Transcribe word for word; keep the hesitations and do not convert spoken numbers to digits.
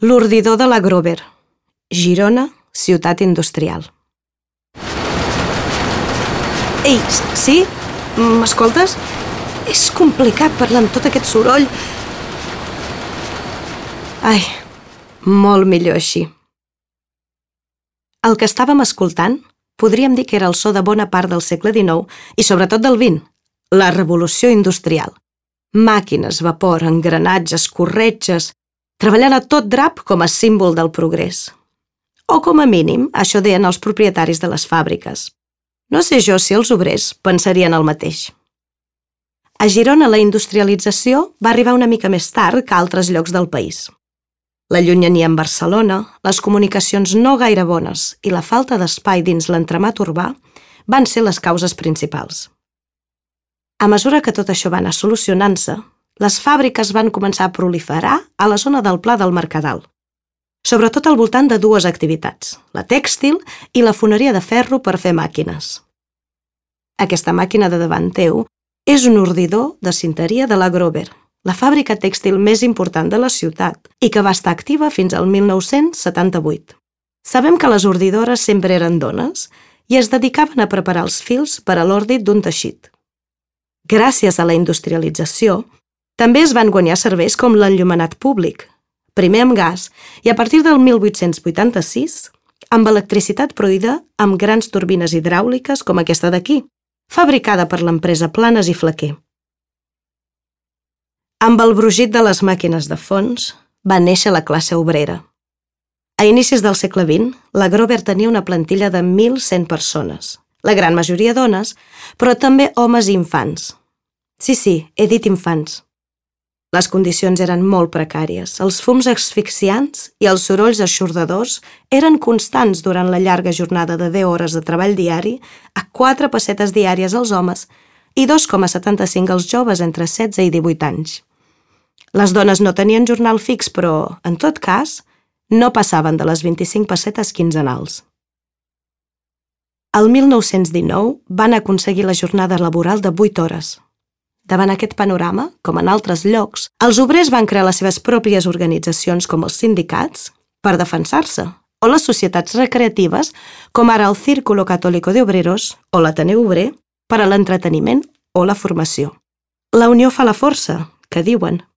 L'ordidor de la Grover, Girona, ciutat industrial. Ei, sí? M'escoltes? És complicat parlar amb tot aquest soroll. Ai, molt millor així. El que estàvem escoltant podríem dir que era el so de bona part del segle dinou i sobretot del vint, la revolució industrial. Màquines, vapor, engranatges, corretges, treballant a tot drap com a símbol del progrés. O com a mínim, això deien els propietaris de les fàbriques. No sé jo si els obrers pensarien el mateix. A Girona la industrialització va arribar una mica més tard que a altres llocs del país. La llunyania amb Barcelona, les comunicacions no gaire bones i la falta d'espai dins l'entramat urbà van ser les causes principals. A mesura que tot això va anar solucionant-se, les fàbriques van començar a proliferar a la zona del Pla del Mercadal, sobretot al voltant de dues activitats, la tèxtil i la foneria de ferro per fer màquines. Aquesta màquina de davant teu és un ordidor de cinteria de la Grover, la fàbrica tèxtil més important de la ciutat i que va estar activa fins al mil nou-cents setanta-vuit. Sabem que les ordidores sempre eren dones i es dedicaven a preparar els fils per a l'ordit d'un teixit. Gràcies a la industrialització, també es van guanyar serveis com l'enllumenat públic, primer amb gas i a partir del mil vuit-cents vuitanta-sis amb electricitat produïda amb grans turbines hidràuliques com aquesta d'aquí, fabricada per l'empresa Planes i Flaquer. Amb el brugit de les màquines de fons va néixer la classe obrera. A inicis del segle vint, la Grover tenia una plantilla de mil cent persones, la gran majoria dones, però també homes i infants. Sí, sí, he dit infants. Les condicions eren molt precàries, els fums asfixiants i els sorolls eixordadors eren constants durant la llarga jornada de deu hores de treball diari a quatre pessetes diàries als homes i dos coma setanta-cinc als joves entre setze i divuit anys. Les dones no tenien jornal fix, però, en tot cas, no passaven de les vint-i-cinc pessetes quinzenals. El mil nou-cents dinou van aconseguir la jornada laboral de vuit hores. Davant aquest panorama, com en altres llocs, els obrers van crear les seves pròpies organitzacions com els sindicats per defensar-se, o les societats recreatives, com ara el Círculo Católico de Obreros o l'Ateneu Obrer, per a l'entreteniment o la formació. La unió fa la força, que diuen.